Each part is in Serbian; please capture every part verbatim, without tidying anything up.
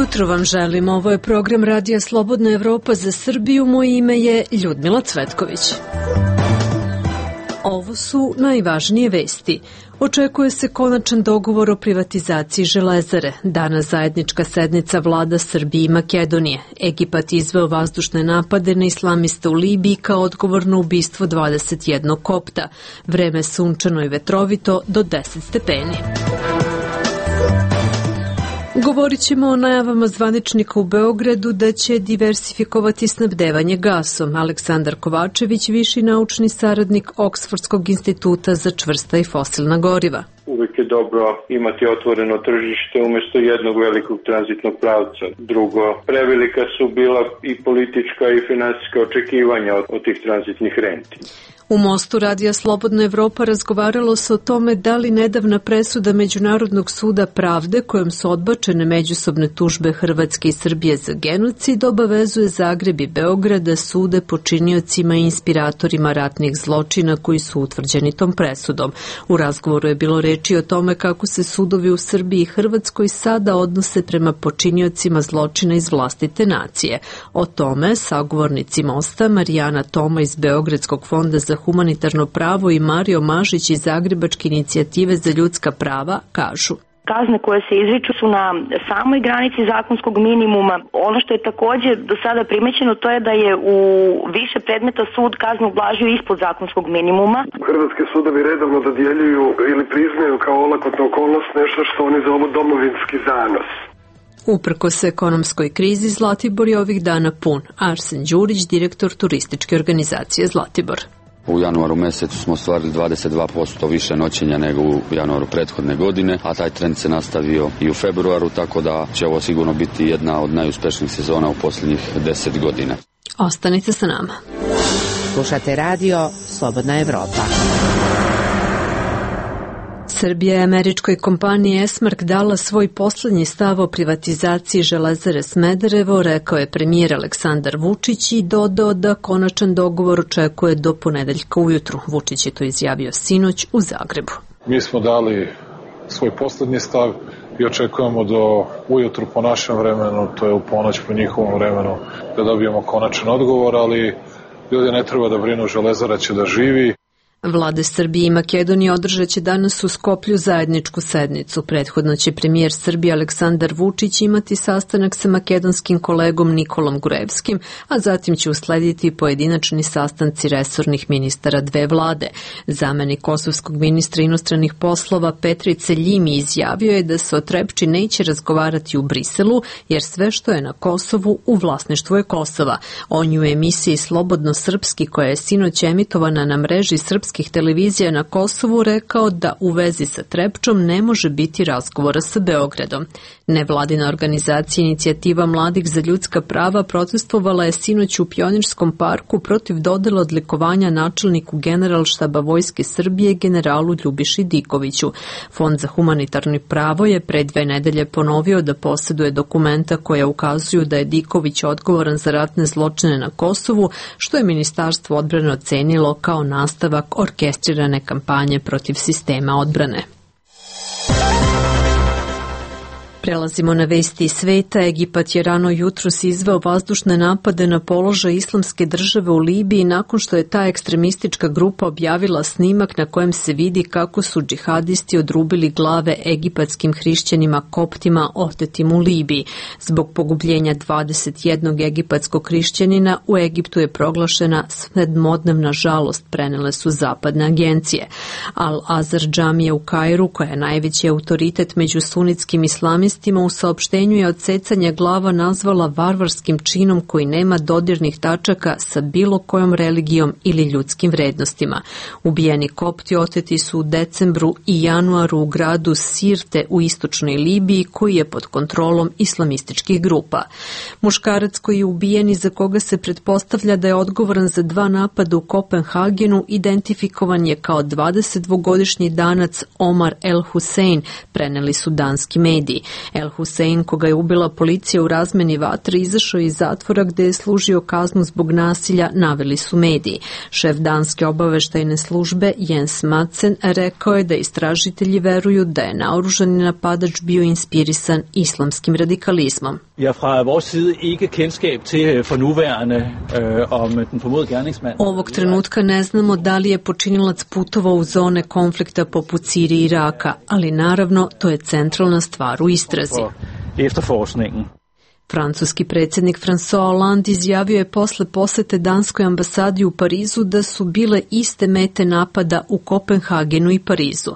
jutro vam želim. Ovo je program Radija Slobodna Evropa za Srbiju. Moje ime je Ljudmila Cvetković. Ovo su najvažnije vesti. Očekuje se konačan dogovor o privatizaciji Železare. Danas zajednička sednica vlada Srbije i Makedonije. Egipat izveo vazdušne napade na islamiste u Libiji kao odgovor na ubistvo dvadeset jednog kopta. Vreme sunčano i vetrovito do deset stepeni. Govorit ćemo o najavama zvaničnika u Beogradu da će diversifikovati snabdevanje gasom. Aleksandar Kovačević, viši naučni saradnik Oksfordskog instituta za čvrsta i fosilna goriva. Uvijek je dobro imati otvoreno tržište umjesto jednog velikog tranzitnog pravca. Drugo, prevelika su bila i politička i finansijska očekivanja od, od tih tranzitnih renti. U Mostu Radija Slobodna Evropa razgovaralo se o tome da li nedavna presuda Međunarodnog suda pravde kojom su odbačene međusobne tužbe Hrvatske i Srbije za genocid obavezuje Zagreb i Beograd da sude počiniocima i inspiratorima ratnih zločina koji su utvrđeni tom presudom. U razgovoru je bilo reči o tome kako se sudovi u Srbiji i Hrvatskoj sada odnose prema počiniocima zločina iz vlastite nacije. O tome sagovornici Mosta Marijana Toma iz Beogradskog fonda za humanitarno pravo i Mario Mažić iz Zagrebačke inicijative za ljudska prava kažu. Kazne koje se izriču su na samoj granici zakonskog minimuma. Ono što je također do sada primećeno to je da je u više predmeta sud kaznu ublažio ispod zakonskog minimuma. Hrvatski sudovi redovno dodjeljuju ili priznaju kao olakotnu okolnost nešto što oni zovu domovinski zanos. Uprkos ekonomskoj krizi, Zlatibor je ovih dana pun. Arsen Đurić, direktor turističke organizacije Zlatibor. U januaru mesecu smo ostvarili dvadeset dva posto više noćenja nego u januaru prethodne godine, a taj trend se nastavio i u februaru, tako da će ovo sigurno biti jedna od najuspešnijih sezona u posljednjih deset godina. Ostanite sa nama. Slušate radio Slobodna Evropa. Srbija je američkoj kompaniji Esmark dala svoj poslednji stav o privatizaciji Železare Smederevo, rekao je premijer Aleksandar Vučić i dodao da konačan dogovor očekuje do ponedeljka ujutru. Vučić je to izjavio sinoć u Zagrebu. Mi smo dali svoj poslednji stav i očekujemo do ujutru po našem vremenu, to je u ponoć po njihovom vremenu, da dobijemo konačan odgovor, ali ljudi ne treba da brinu, Železara će da živi. Vlade Srbije i Makedonije održat će danas u Skoplju zajedničku sednicu. Prethodno će premijer Srbije Aleksandar Vučić imati sastanak sa makedonskim kolegom Nikolom Gurevskim, a zatim će uslediti pojedinačni sastanci resornih ministara dve vlade. Zamenik kosovskog ministra inostranih poslova Petrice Ljimi izjavio je da se o Trepči neće razgovarati u Briselu, jer sve što je na Kosovu u vlasništvu je Kosova. On je u emisiji Slobodno srpski, koja je sinoć emitovana na mreži srpskih televizija na Kosovu, rekao da u vezi sa Trepčom ne može biti razgovora sa Beogradom. Nevladina organizacija Inicijativa mladih za ljudska prava protestvovala je sinoć u Pionirskom parku protiv dodela odlikovanja načelniku Generalštaba Vojske Srbije generalu Ljubiši Dikoviću. Fond za humanitarno pravo je pre dve nedelje ponovio da posjeduje dokumenta koja ukazuju da je Diković odgovoran za ratne zločine na Kosovu, što je Ministarstvo odbrane ocenilo kao nastavak orkestrirane kampanje protiv sistema odbrane. Prelazimo na vesti iz sveta. Egipat je rano jutros izveo vazdušne napade na položaj Islamske države u Libiji nakon što je ta ekstremistička grupa objavila snimak na kojem se vidi kako su džihadisti odrubili glave egipatskim hrišćanima koptima otetim u Libiji. Zbog pogubljenja dvadeset jednog egipatskog hrišćanina u Egiptu je proglašena sedmodnevna žalost, prenele su zapadne agencije. Al-Azhar džamija u Kairu, koja je najveći autoritet među sunitskim islamistima, u saopštenju je odsecanje glava nazvala varvarskim činom koji nema dodirnih tačaka sa bilo kojom religijom ili ljudskim vrednostima. Ubijeni kopti oteti su u decembru i januaru u gradu Sirte u istočnoj Libiji, koji je pod kontrolom islamističkih grupa. Muškarac koji je ubijen i za koga se pretpostavlja da je odgovoran za dva napada u Kopenhagenu identifikovan je kao dvadesetdvogodišnji Danac Omar El Hussein, preneli su danski mediji. El Hussein, koga je ubila policija u razmeni vatre, izašao iz zatvora gde je služio kaznu zbog nasilja, naveli su mediji. Šef danske obaveštajne službe Jens Madsen rekao je da istražitelji veruju da je naoružani napadač bio inspirisan islamskim radikalizmom. Ovog trenutka ne znamo da li je počinilac putovao u zone konflikta poput Sirije i Iraka, ali naravno to je centralna stvar u istrazi. Francuski predsjednik François Hollande izjavio je posle posete danskoj ambasadi u Parizu da su bile iste mete napada u Kopenhagenu i Parizu.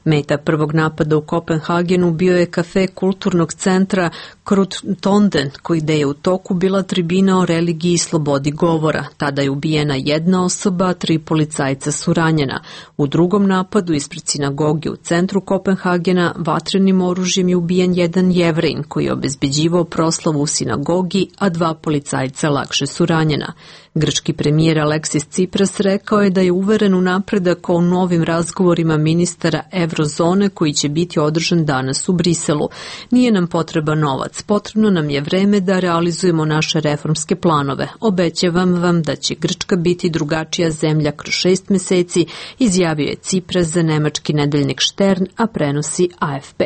Meta prvog napada u Kopenhagenu bio je kafe kulturnog centra Kruttonden, koji je u toku bila tribina o religiji i slobodi govora. Tada je ubijena jedna osoba, a tri policajca su ranjena. U drugom napadu ispred sinagoge u centru Kopenhagena vatrenim oružjem je ubijen jedan Jevrejin koji je obezbeđivao proslavu u sinagogi, a dva policajca lakše su ranjena. Grčki premijer Aleksis Tsipras rekao je da je uveren u napredak o novim razgovorima ministara Evrozone koji će biti održan danas u Briselu. Nije nam potreban novac, potrebno nam je vreme da realizujemo naše reformske planove. Obećavam vam da će Grčka biti drugačija zemlja kroz šest meseci, izjavio je Tsipras za nemački nedeljnik Stern, a prenosi A F P.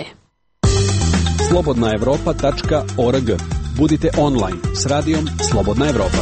slobodna evropa tačka org. Budite online s radijom Slobodna Evropa.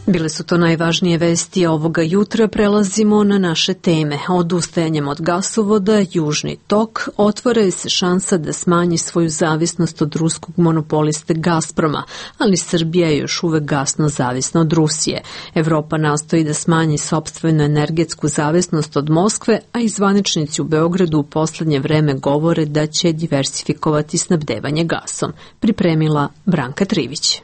Bile su to najvažnije vesti ovoga jutra. Prelazimo na naše teme. Odustajanjem od gasovoda Južni tok otvara se šansa da smanji svoju zavisnost od ruskog monopoliste Gazproma, ali Srbija je još uvek gasno zavisna od Rusije. Evropa nastoji da smanji sopstvenu energetsku zavisnost od Moskve, a i zvaničnici u Beogradu u poslednje vreme govore da će diversifikovati snabdevanje gasom. Pripremila Branka Trivić.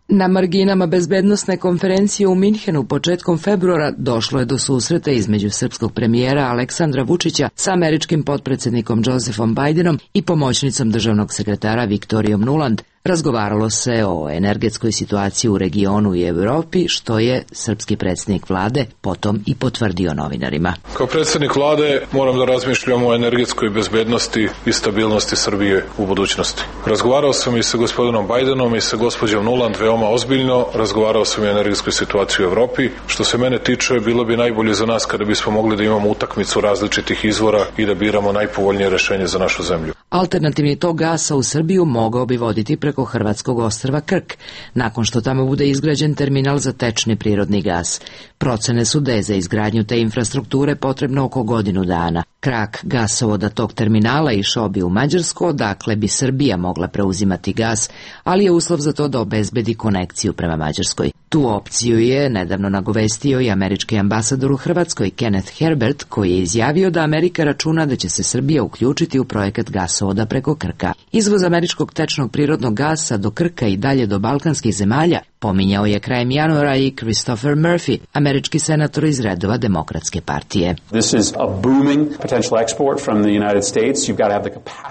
Na marginama bezbednosne konferencije u Minhenu početkom februara došlo je do susreta između srpskog premijera Aleksandra Vučića sa američkim potpredsjednikom Josephom Bidenom i pomoćnicom državnog sekretara Viktorijom Nuland. Razgovaralo se o energetskoj situaciji u regionu i Evropi, što je srpski predsjednik vlade potom i potvrdio novinarima. Kao predsjednik vlade moram da razmišljam o energetskoj bezbednosti i stabilnosti Srbije u budućnosti. Razgovarao sam i sa gospodinom Bidenom i sa gospođom Nuland veoma ozbiljno, razgovarao sam i o energetskoj situaciji u Evropi. Što se mene tiče, bilo bi najbolje za nas kada bismo mogli da imamo utakmicu različitih izvora i da biramo najpovoljnije rešenje za našu zemlju. Alternativni tok gasa u Srbiju mogao bi voditi preko hrvatskog ostrva Krk, nakon što tamo bude izgrađen terminal za tečni prirodni gas. Procene su da je za izgradnju te infrastrukture potrebno oko godinu dana. Krak gasovoda tog terminala išao bi u Mađarsku, odakle bi Srbija mogla preuzimati gas, ali je uslov za to da obezbedi konekciju prema Mađarskoj. Tu opciju je nedavno nagovestio i američki ambasador u Hrvatskoj Kenneth Herbert, koji je izjavio da Amerika računa da će se Srbija uključiti u projekat gasovoda preko Krka. Izvoz američkog tečnog prirodnog gasa do Krka i dalje do balkanskih zemalja pominjao je krajem januara i Christopher Murphy, američki senator iz redova Demokratske partije.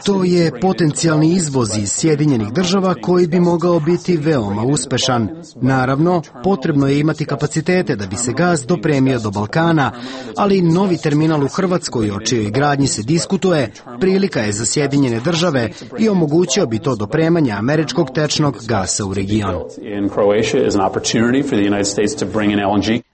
To je potencijalni izvoz iz Sjedinjenih država koji bi mogao biti veoma uspešan. Naravno, potrebno je imati kapacitete da bi se gas dopremio do Balkana, ali novi terminal u Hrvatskoj, o čijoj gradnji se diskutuje, prilika je za Sjedinjene države i omogućio bi to dopremanje američkog tečnog gasa u region.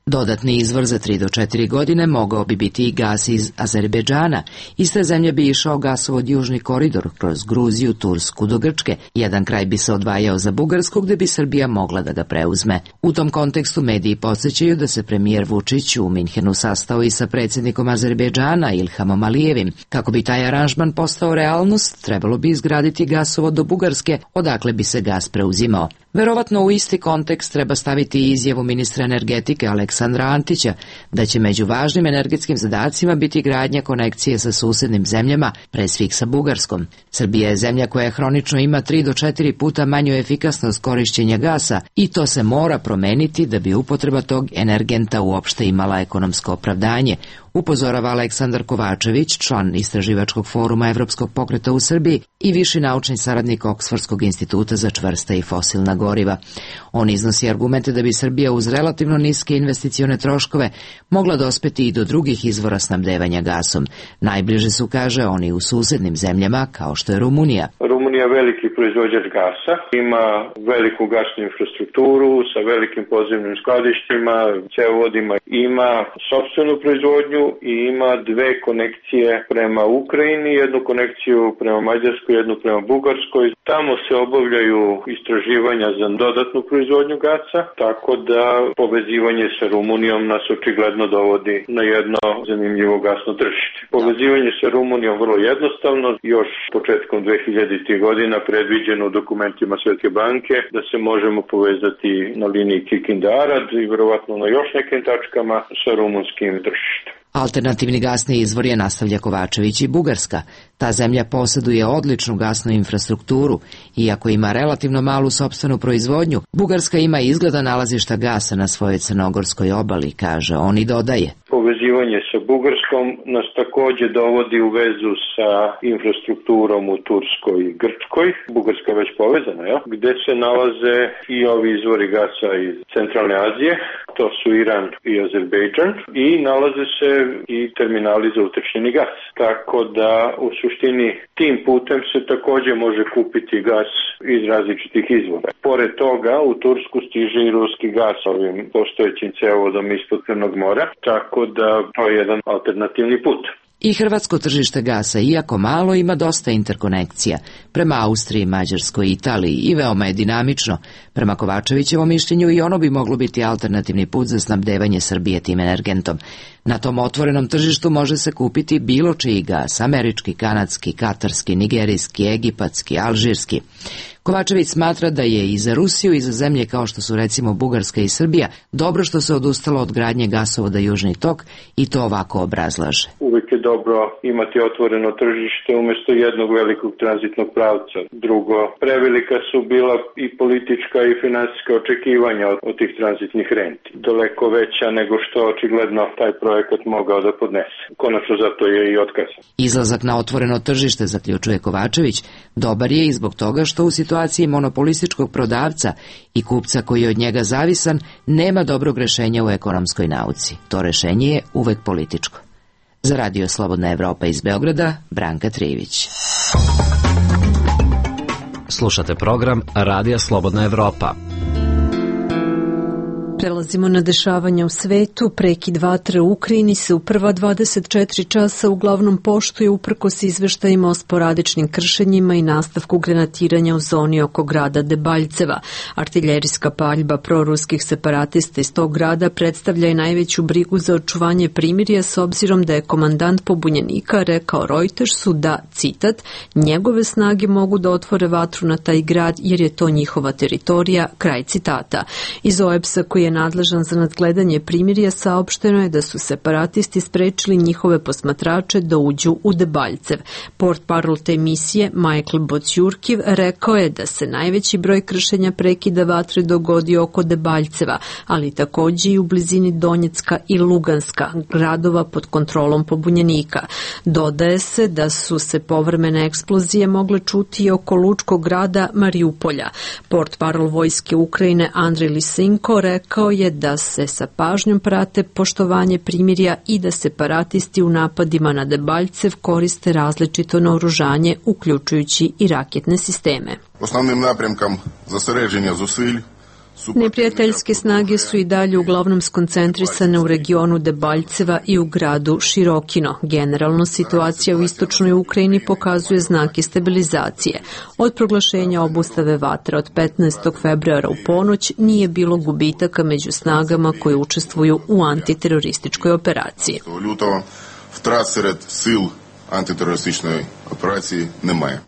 Dodatni izvor za tri do četiri godine mogao bi biti i gas iz Azerbejdžana. Iz te zemlje bi išao gasovod Južni koridor kroz Gruziju, Tursku do Grčke. Jedan kraj bi se odvajao za Bugarsku, gde bi Srbija mogla da ga preuzme. U tom kontekstu mediji podsjećaju da se premijer Vučić u Minhenu sastao i sa predsjednikom Azerbejdžana Ilhamom Alijevim. Kako bi taj aranžman postao realnost, trebalo bi izgraditi gasovod do Bugarske, odakle bi se gas preuzimao. Verovatno u isti kontekst treba staviti izjavu ministra energetike Aleksandra Antića da će među važnim energetskim zadacima biti gradnja konekcije sa susednim zemljama, pre svih sa Bugarskom. Srbija je zemlja koja hronično ima tri do četiri puta manju efikasnost korišćenja gasa i to se mora promeniti da bi upotreba tog energenta uopšte imala ekonomsko opravdanje, upozorava Aleksandar Kovačević, član Istraživačkog foruma Evropskog pokreta u Srbiji i viši naučni saradnik Oksfordskog instituta za čvrsta i fosilna goriva. On iznosi argumente da bi Srbija uz relativno niske investicione troškove mogla dospeti i do drugih izvora snabdevanja gasom. Najbliže su, kaže, oni u susednim zemljama kao što je Rumunija. Rumunija je veliki proizvođač gasa, ima veliku gasnu infrastrukturu sa velikim podzemnim skladištima, cevovodima, ima sopstvenu proizvodnju i ima dve konekcije prema Ukrajini, jednu konekciju prema Mađarskoj, jednu prema Bugarskoj. Tamo se obavljaju istraživanja za dodatnu proizvodnju gasa, tako da povezivanje sa Rumunijom nas očigledno dovodi na jedno zanimljivo gasno tržište. Povezivanje sa Rumunijom vrlo jednostavno, još početkom dve hiljaditih godina predviđeno u dokumentima Svetske banke da se možemo povezati na liniji Kikinda-Arad i verovatno na još nekim tačkama sa rumunskim tržištem. Alternativni gasni izvor je, nastavlja Kovačević, i Bugarska. Ta zemlja posjeduje odličnu gasnu infrastrukturu. Iako ima relativno malu sopstvenu proizvodnju, Bugarska ima izgleda nalazišta gasa na svojoj crnogorskoj obali, kaže on i dodaje. Povezivanje sa Bugarskom nas takođe dovodi u vezu sa infrastrukturom u Turskoj i Grčkoj. Bugarska je već povezana, ja? Gde se nalaze i ovi izvori gasa iz Centralne Azije, to su Iran i Azerbejdžan, i nalaze se i terminali za utečnjeni gas. Tako da u suštini tim putem se takođe može kupiti gas iz različitih izvora. Pored toga u Tursku stiže i ruski gas ovim postojećim cevovodom ispod Crnog mora, tako da to je jedan alternativni put. I hrvatsko tržište gasa, iako malo, ima dosta interkonekcija prema Austriji, Mađarskoj i Italiji i veoma je dinamično. Prema Kovačevićevom mišljenju i ono bi moglo biti alternativni put za snabdevanje Srbije tim energentom. Na tom otvorenom tržištu može se kupiti bilo čiji gas, američki, kanadski, katarski, nigerijski, egipatski, alžirski. Kovačević smatra da je i za Rusiju i za zemlje kao što su recimo Bugarska i Srbija dobro što se odustalo od gradnje gasovoda Južni tok i to ovako obrazlaže. Uvijek je dobro imati otvoreno tržište umjesto jednog velikog tranzitnog pravca. Drugo, prevelika su bila i politička i finansijska očekivanja od, od tih tranzitnih renti. Daleko veća nego što očigledno taj projekat mogao da podnese. Konačno zato je i otkazan. Izlazak na otvoreno tržište, zaključuje Kovačević, dobar je i zbog toga što u situaciji monopolističkog prodavca i kupca koji je od njega zavisan nema dobrog rešenja u ekonomskoj nauci. To rešenje je uvek političko. Za Radio Slobodna Evropa iz Beograda, Branka Trivić. Slušate program Radija Slobodna Evropa. Prelazimo na dešavanja u svetu. Prekid vatre u Ukrajini se u prva dvadeset četiri časa uglavnom poštuje uprkos izveštajima o sporadičnim kršenjima i nastavku granatiranja u zoni oko grada Debaljceva. Artiljerijska paljba proruskih separatista iz tog grada predstavlja i najveću brigu za očuvanje primirja s obzirom da je komandant pobunjenika rekao Reutersu da, citat, njegove snage mogu da otvore vatru na taj grad jer je to njihova teritorija, kraj citata. Iz O E B S-a koji je nadležan za nadgledanje primirja saopšteno je da su separatisti sprečili njihove posmatrače da uđu u Debaljcev. Portparol te misije Michael Bocjurkiv rekao je da se najveći broj kršenja prekida vatre dogodio oko Debaljceva, ali takođe i u blizini Donjecka i Luganska, gradova pod kontrolom pobunjenika. Dodaje se da su se povremene eksplozije mogle čuti i oko lučkog grada Mariupolja. Portparol vojske Ukrajine Andrej Lisinko rekao je da se sa pažnjom prate poštovanje primirja i da separatisti u napadima na Debaljcev koriste različito naoružanje, uključujući i raketne sisteme. Osnovnim napremkom zosередження зусиль Neprijateljske snage su i dalje uglavnom skoncentrisane u regionu Debaljceva i u gradu Širokino. Generalno, situacija u istočnoj Ukrajini pokazuje znake stabilizacije. Od proglašenja obustave vatre od petnaestog februara u ponoć nije bilo gubitaka među snagama koje učestvuju u antiterorističkoj operaciji. Lutого втрат серед сил антитерористичної операції немає.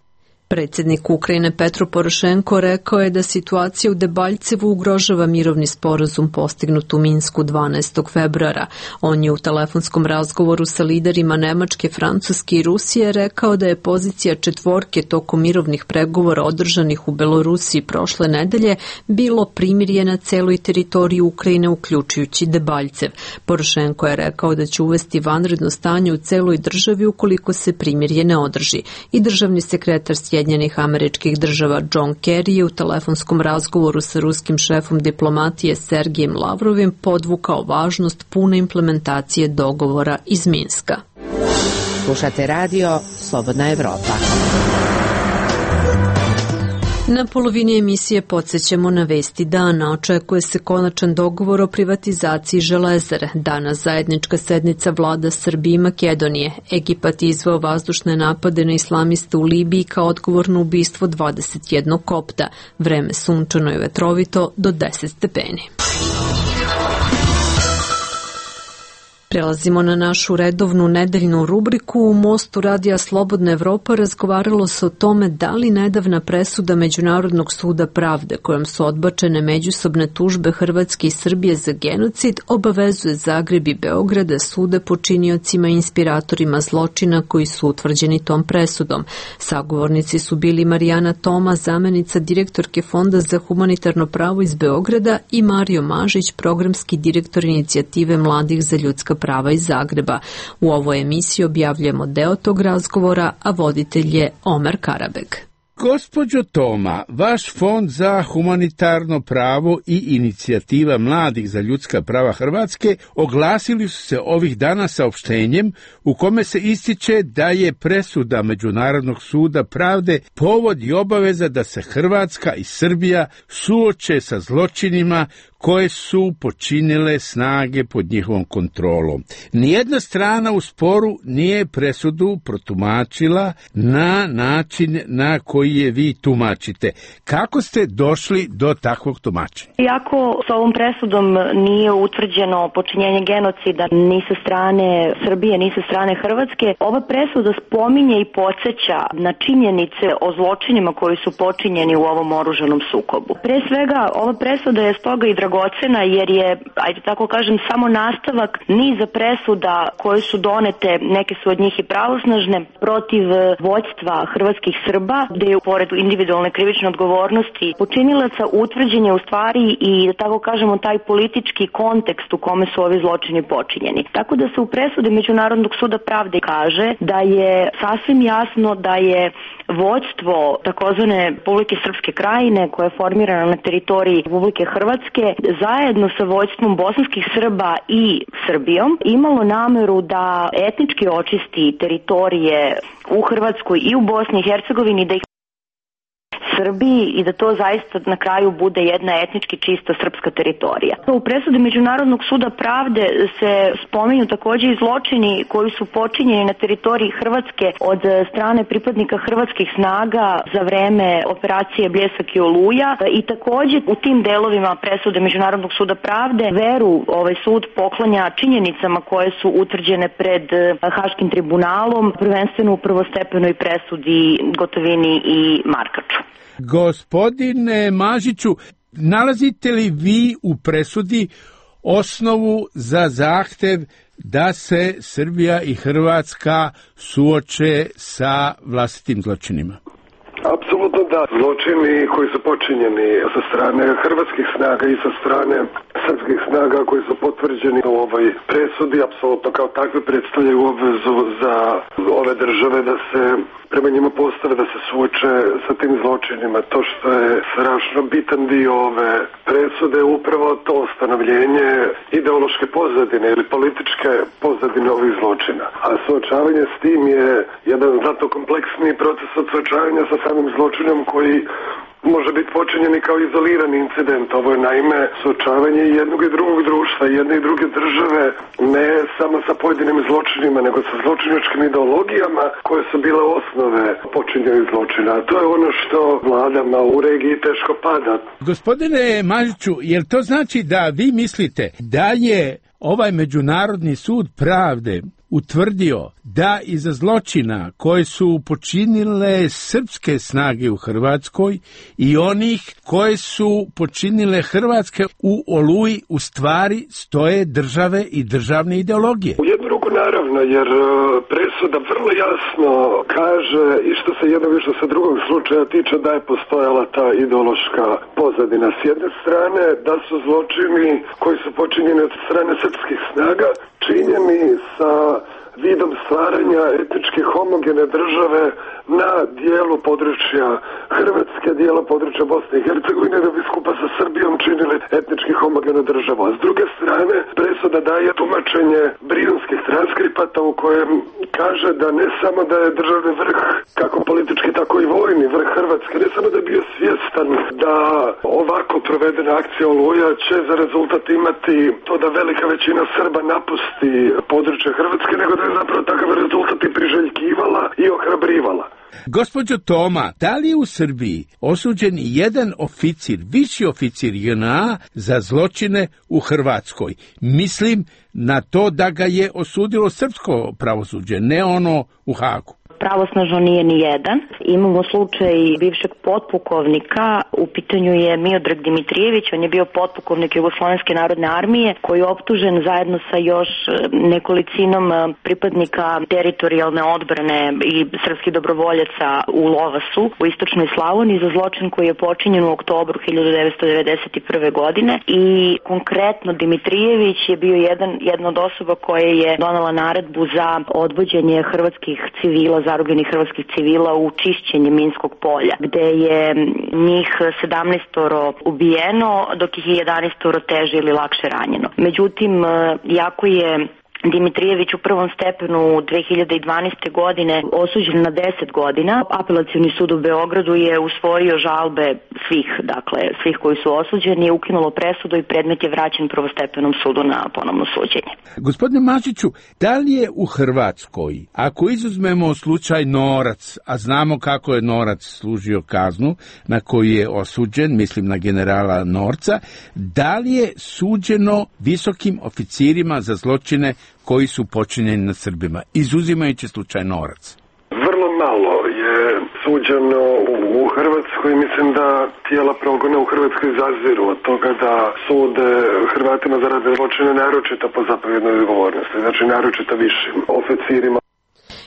Predsjednik Ukrajine Petro Porošenko rekao je da situacija u Debaljcevu ugrožava mirovni sporazum postignut u Minsku dvanaestog februara. On je u telefonskom razgovoru sa liderima Nemačke, Francuske i Rusije rekao da je pozicija četvorke tokom mirovnih pregovora održanih u Belorusiji prošle nedelje bilo primirje na celoj teritoriji Ukrajine, uključujući Debaljcev. Porošenko je rekao da će uvesti vanredno stanje u celoj državi ukoliko se primirje ne održi. I državni sekretar Sjedinjenih Američkih Država John Kerry je u telefonskom razgovoru sa ruskim šefom diplomatije Sergejem Lavrovim podvukao važnost pune implementacije dogovora iz Minska. Slušate radio Slobodna Evropa. Na polovini emisije podsjećamo na vesti dana. Očekuje se konačan dogovor o privatizaciji Železare. Danas zajednička sednica vlada Srbije i Makedonije. Egipat je izveo vazdušne napade na islamiste u Libiji kao odgovor na ubistvo dvadeset jednog kopta. Vreme sunčano i vetrovito do deset stepeni. Prelazimo na našu redovnu nedeljnu rubriku. U Mostu radija Slobodna Evropa razgovaralo se o tome da li nedavna presuda Međunarodnog suda pravde kojom su odbačene međusobne tužbe Hrvatske i Srbije za genocid obavezuje Zagreb i Beograd da sude počiniocima i inspiratorima zločina koji su utvrđeni tom presudom. Sagovornici su bili Marijana Toma, zamenica direktorke Fonda za humanitarno pravo iz Beograda, i Mario Mažić, programski direktor inicijative mladih za ljudska prava iz Zagreba. U ovoj emisiji objavljujemo deo tog razgovora, a voditelj je Omer Karabeg. Gospođo Toma, vaš Fond za humanitarno pravo i inicijativa mladih za ljudska prava Hrvatske oglasili su se ovih dana saopštenjem u kome se ističe da je presuda Međunarodnog suda pravde povod i obaveza da se Hrvatska i Srbija suoče sa zločinima koje su počinile snage pod njihovom kontrolom. Nijedna strana u sporu nije presudu protumačila na način na koji je vi tumačite. Kako ste došli do takvog tumačenja? Iako s ovom presudom nije utvrđeno počinjenje genocida ni sa strane Srbije, ni sa strane Hrvatske, ova presuda spominje i podsjeća na činjenice o zločinima koji su počinjeni u ovom oružanom sukobu. Pre svega, ova presuda je stoga i dragocena jer je, ajde tako kažem, samo nastavak niza presuda koje su donete, neke su od njih i pravosnažne, protiv vođstva hrvatskih Srba, gde je pored individualne krivične odgovornosti počinilaca utvrđen je u stvari i, da tako kažemo, taj politički kontekst u kome su ovi zločini počinjeni. Tako da se u presudi Međunarodnog suda pravde kaže da je sasvim jasno da je vođstvo takozvane Republike Srpske krajine, koja je formirana na teritoriji Republike Hrvatske, zajedno sa vođstvom bosanskih Srba i Srbijom, imalo nameru da etnički očisti teritorije u Hrvatskoj i u Bosni i Hercegovini, da ih Srbiji i da to zaista na kraju bude jedna etnički čista srpska teritorija. U presudi Međunarodnog suda pravde se spominju također i zločini koji su počinjeni na teritoriji Hrvatske od strane pripadnika hrvatskih snaga za vreme operacije Bljesak i Oluja, i također u tim delovima presude Međunarodnog suda pravde veru ovaj sud poklanja činjenicama koje su utvrđene pred Haškim tribunalom, prvenstveno u prvostepenoj presudi Gotovini i Markaču. Gospodine Mažiću, nalazite li vi u presudi osnovu za zahtev da se Srbija i Hrvatska suoče sa vlastitim zločinima? Apsolutno da. Zločini koji su počinjeni sa strane hrvatskih snaga i sa strane srpskih snaga koji su potvrđeni u ovoj presudi, apsolutno kao takve predstavljaju obvezu za ove države da se prema njima postave, da se suoče sa tim zločinima. To što je strašno bitan dio ove presude je upravo to ustanovljenje ideološke pozadine ili političke pozadine ovih zločina. A suočavanje s tim je jedan znatno kompleksniji proces od suočavanja sa samim zločinom koji može biti počinjeni kao izolirani incident. Ovo je naime suočavanje jednog i drugog društva, jedne i druge države, ne samo sa pojedinim zločinima, nego sa zločinačkim ideologijama koje su bile osnove počinjenih zločina. To je ono što vladama u regiji teško pada. Gospodine Mažiću, jel to znači da vi mislite da je ovaj Međunarodni sud pravde utvrdio da iza zločina koje su počinile srpske snage u Hrvatskoj i onih koje su počinile Hrvatske u Oluji u stvari stoje države i državne ideologije. U jednu ruku naravno, jer presuda vrlo jasno kaže i što se jednog i što se drugog slučaja tiče da je postojala ta ideološka pozadina. S jedne strane da su zločini koji su počinjeni od strane srpskih snaga činjeni sa vidom stvaranja etnički homogene države na dijelu područja Hrvatske, dijela područja Bosne i Hercegovine, da bi skupa sa Srbijom činili etnički homogenu državu. A s druge strane, presuda daje tumačenje brijunskih transkripata u kojem kaže da ne samo da je državni vrh, kako politički, tako i vojni vrh Hrvatske, ne samo da je bio svjestan da ovako provedena akcija Oluja će za rezultat imati to da velika većina Srba napusti područje Hrvatske, nego da je zapravo takav rezultat i priželjkivala i ohrabrivala. Gospođo Toma, da li je u Srbiji osuđen jedan oficir, viši oficir J N A za zločine u Hrvatskoj? Mislim na to da ga je osudilo srpsko pravosuđe, ne ono u Hagu. Pravosnažno nije ni jedan. Imamo slučaj bivšeg potpukovnika, u pitanju je Miodrag Dimitrijević, on je bio potpukovnik Jugoslovenske narodne armije koji je optužen zajedno sa još nekolicinom pripadnika teritorijalne odbrane i srpskih dobrovoljaca u Lovasu u istočnoj Slavoniji za zločin koji je počinjen u oktobru hiljadu devetsto devedeset prve. godine i konkretno Dimitrijević je bio jedan, jedna od osoba koja je donala naredbu za odvođenje hrvatskih civila, zarobljenih hrvatskih civila u čišćenje Minskog polja, gde je njih sedamnaestoro ubijeno, dok ih je jedanaestoro teže ili lakše ranjeno. Međutim, jako je Dimitrijević u prvom stepenu dve hiljade dvanaeste. godine osuđen na deset godina. Apelacioni sud u Beogradu je usvojio žalbe svih, dakle, svih koji su osuđeni, je ukinulo presudu i predmet je vraćen prvostepenom sudu na ponovno suđenje. Gospodine Mažiću, da li je u Hrvatskoj, ako izuzmemo slučaj Norac, a znamo kako je Norac služio kaznu na koju je osuđen, mislim na generala Norca, da li je suđeno visokim oficirima za zločine koji su počinjeni na Srbima, izuzimajući slučaj Norac? Vrlo malo je suđeno u Hrvatskoj. Mislim da tijela progona u Hrvatskoj zaziru od toga da sude Hrvatima za ratne zločine naročito po zapovjednoj odgovornosti, znači naročito višim oficirima.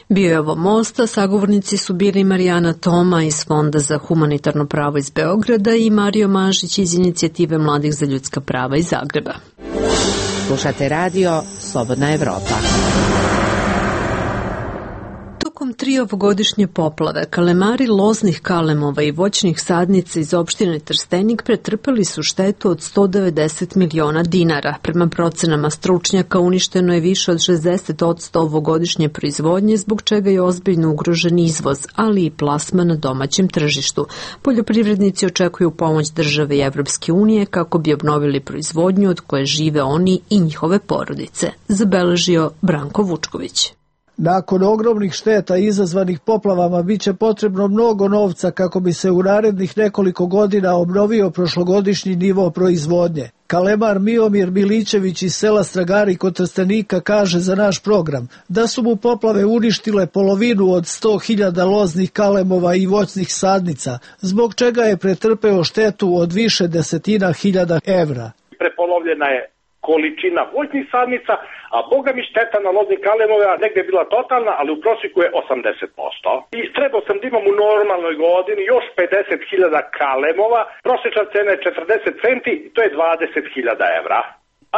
Bio je ovo Mosta, sagovornici su bili Marijana Toma iz Fonda za humanitarno pravo iz Beograda i Mario Mažić iz Inicijative mladih za ljudska prava iz Zagreba. Slušate radio Slobodna Evropa. Tokom tri ovogodišnje poplave, kalemari loznih kalemova i voćnih sadnica iz opštine Trstenik pretrpeli su štetu od sto devedeset miliona dinara. Prema procenama stručnjaka uništeno je više od šezdeset posto ovogodišnje proizvodnje, zbog čega je ozbiljno ugrožen izvoz, ali i plasma na domaćem tržištu. Poljoprivrednici očekuju pomoć države i Evropske unije kako bi obnovili proizvodnju od koje žive oni i njihove porodice, zabeležio Branko Vučković. Nakon ogromnih šteta izazvanih poplavama biće potrebno mnogo novca kako bi se u narednih nekoliko godina obnovio prošlogodišnji nivo proizvodnje. Kalemar Miomir Milićević iz sela Stragari kod Trstenika kaže za naš program da su mu poplave uništile polovinu od sto hiljada loznih kalemova i voćnih sadnica, zbog čega je pretrpeo štetu od više desetina hiljada evra. Prepolovljena je količina voćnih sadnica, a boga mi šteta na loznih kalemova negdje je bila totalna, ali u prosjeku je osamdeset posto. I trebao sam da imam u normalnoj godini još pedeset hiljada kalemova, prosječna cena je četrdeset centi, to je dvadeset hiljada evra.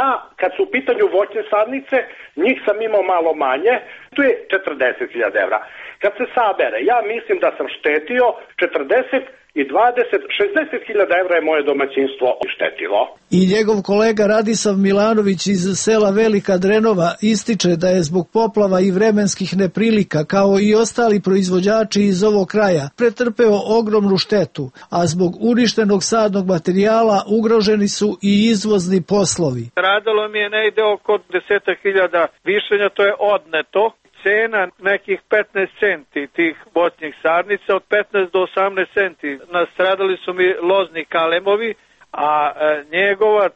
A kad su u pitanju voćne sadnice, njih sam imao malo manje, tu je četrdeset hiljada evra. Kad se sabere, ja mislim da sam štetio četrdeset i dvadeset, šezdeset hiljada evra je moje domaćinstvo štetilo. I njegov kolega Radislav Milanović iz sela Velika Drenova ističe da je zbog poplava i vremenskih neprilika, kao i ostali proizvođači iz ovog kraja, pretrpeo ogromnu štetu, a zbog uništenog sadnog materijala ugroženi su i izvozni poslovi. Radilo mi je negde oko deset hiljada višenja, to je odneto. Cena nekih petnaest centi tih voćnih sadnica, od petnaest do osamnaest centi. Nastradali su mi lozni kalemovi, a e, njegova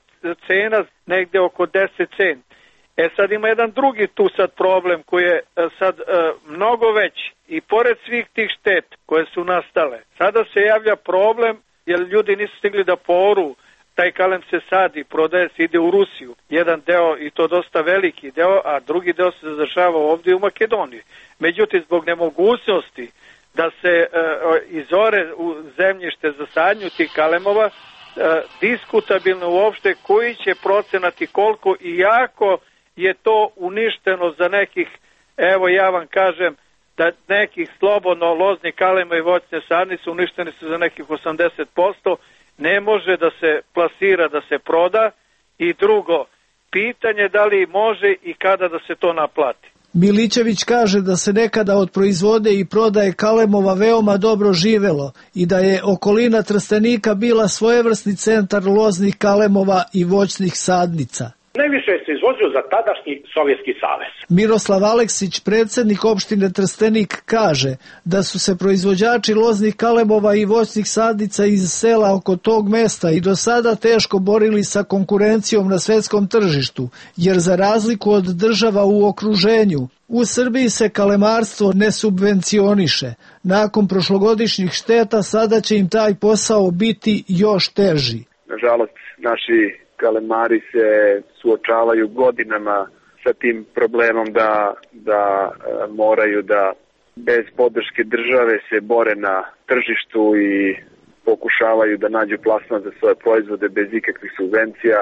cena negde oko deset centi. E sad ima jedan drugi tu sad problem koji je sad e, mnogo veći. I pored svih tih šteta koje su nastale, sada se javlja problem jer ljudi nisu stigli da poru, taj kalem se sadi, prodaje se, ide u Rusiju. Jedan deo, i to dosta veliki deo, a drugi deo se zadržava ovdje u Makedoniji. Međutim, zbog nemogućnosti da se e, izore u zemljište za sadnju tih kalemova, e, diskutabilno uopšte koji će procenat i koliko i jako je to uništeno za nekih, evo ja vam kažem, da nekih slobodno lozni kalema i voćne sadnice uništeni su za nekih osamdeset posto, ne može da se plasira, da se proda. I drugo, pitanje da li može i kada da se to naplati. Milićević kaže da se nekada od proizvode i prodaje kalemova veoma dobro živelo i da je okolina Trstenika bila svojevrsni centar loznih kalemova i voćnih sadnica. Najviše se izvozio za tadašnji Sovjetski savez. Miroslav Aleksić, predsjednik opštine Trstenik, kaže da su se proizvođači loznih kalemova i voćnih sadnica iz sela oko tog mesta i do sada teško borili sa konkurencijom na svetskom tržištu, jer za razliku od država u okruženju, u Srbiji se kalemarstvo ne subvencioniše. Nakon prošlogodišnjih šteta sada će im taj posao biti još teži. Nažalost, naši kalemari se suočavaju godinama sa tim problemom da, da e, moraju da bez podrške države se bore na tržištu i pokušavaju da nađu plasman za svoje proizvode bez ikakvih subvencija.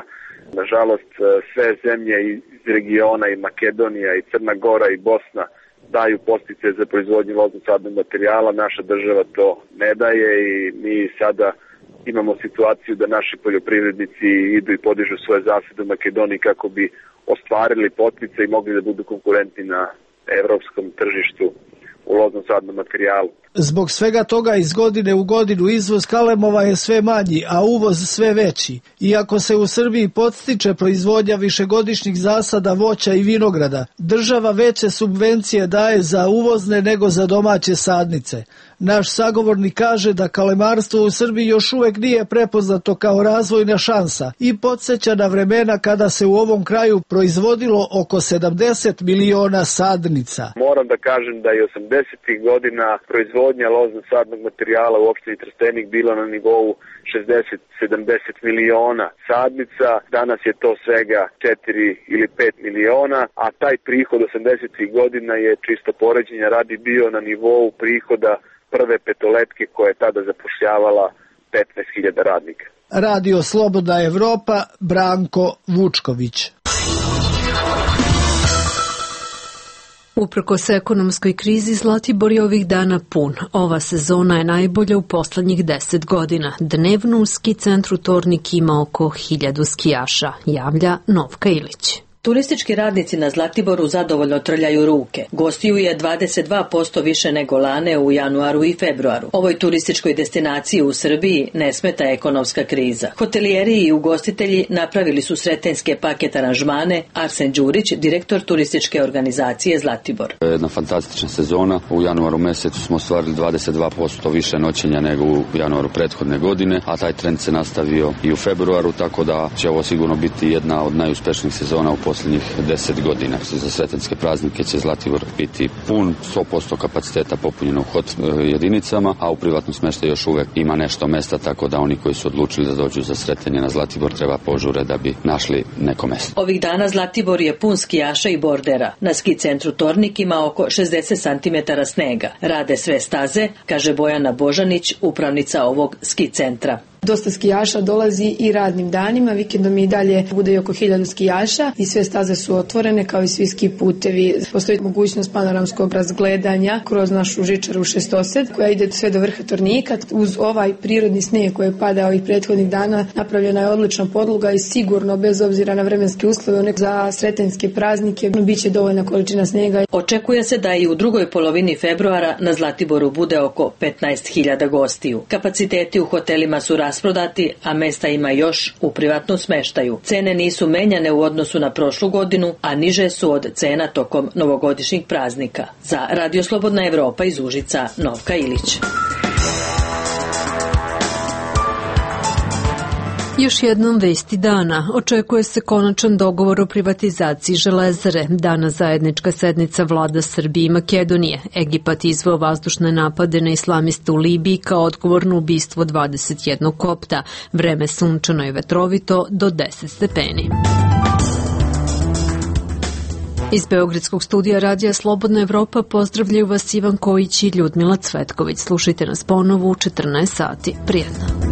Nažalost, sve zemlje iz regiona i Makedonija i Crna Gora i Bosna daju podsticaje za proizvodnju loznog sadnog materijala, naša država to ne daje i mi sada imamo situaciju da naši poljoprivrednici idu i podižu svoje zasade u Makedoniji kako bi ostvarili poticaje i mogli da budu konkurentni na evropskom tržištu u loznom sadnom materijalu. Zbog svega toga iz godine u godinu izvoz kalemova je sve manji, a uvoz sve veći. Iako se u Srbiji podstiče proizvodnja višegodišnjih zasada voća i vinograda, država veće subvencije daje za uvozne nego za domaće sadnice. Naš sagovornik kaže da kalemarstvo u Srbiji još uvek nije prepoznato kao razvojna šansa i podsjeća na vremena kada se u ovom kraju proizvodilo oko sedamdeset miliona sadnica. Moram da kažem da je osamdesetih godina proizvodnja loznog sadnog materijala u opštini Trstenik bila na nivou šezdeset do sedamdeset miliona sadnica. Danas je to svega četiri ili pet miliona, a taj prihod osamdesetih godina je čisto poređenja radi bio na nivou prihoda prve petoletke koja je tada zapošljavala petnaest hiljada radnika. Radio Slobodna Evropa, Branko Vučković. Uprkos ekonomskoj krizi, Zlatibor je ovih dana pun. Ova sezona je najbolja u poslednjih deset godina. Dnevno u ski centru Tornik ima oko hiljadu skijaša, javlja Novka Ilić. Turistički radnici na Zlatiboru zadovoljno trljaju ruke. Gostiju je dvadeset dva posto više nego lane u januaru i februaru. Ovoj turističkoj destinaciji u Srbiji ne smeta ekonomska kriza. Hotelijeri i ugostitelji napravili su sretenjske paket aranžmane. Arsen Đurić, direktor turističke organizacije Zlatibor. Jedna fantastična sezona. U januaru mesecu smo ostvarili dvadeset dva posto više noćenja nego u januaru prethodne godine, a taj trend se nastavio i u februaru, tako da će ovo sigurno biti jedna od najuspešnijih sezona u posljednjih deset godina. Za sretenske praznike će Zlatibor biti pun, sto posto kapaciteta popunjeno u hot jedinicama, a u privatnom smještaju još uvek ima nešto mesta, tako da oni koji su odlučili da dođu za sretenje na Zlatibor treba požure da bi našli neko mesto. Ovih dana Zlatibor je pun skijaša i bordera. Na ski centru Tornik ima oko šezdeset santimetara snega. Rade sve staze, kaže Bojana Božanić, upravnica ovog ski centra. Dosta skijaša dolazi i radnim danima, vikendom i dalje bude oko hiljadu skijaša i sve staze su otvorene kao i svi ski putevi. Postoji mogućnost panoramskog razgledanja kroz našu žičaru šestosed koja ide sve do vrha Tornika. Uz ovaj prirodni snijeg koji je padao ovih prethodnih dana napravljena je odlična podloga i sigurno bez obzira na vremenske uslove za sretenjske praznike biće dovoljna količina snijega. Očekuje se da i u drugoj polovini februara na Zlatiboru bude oko petnaest hiljada gostiju. Kapaciteti u hotelima su rasprodati, a mesta ima još u privatnom smeštaju. Cene nisu menjane u odnosu na prošlu godinu, a niže su od cena tokom novogodišnjih praznika. Za Radio Slobodna Evropa iz Užica, Novka Ilić. Još jednom vesti dana. Očekuje se konačan dogovor o privatizaciji Železare. Dana zajednička sednica vlada Srbije i Makedonije. Egipat izveo vazdušne napade na islamiste u Libiji kao odgovor na ubistvo dvadeset jednog kopta. Vreme sunčano i vetrovito do deset stepeni. Iz Beogradskog studija Radija Slobodna Evropa pozdravljaju vas Ivan Kojić i Ljudmila Cvetković. Slušajte nas ponovo u četrnaest sati. Prijetno.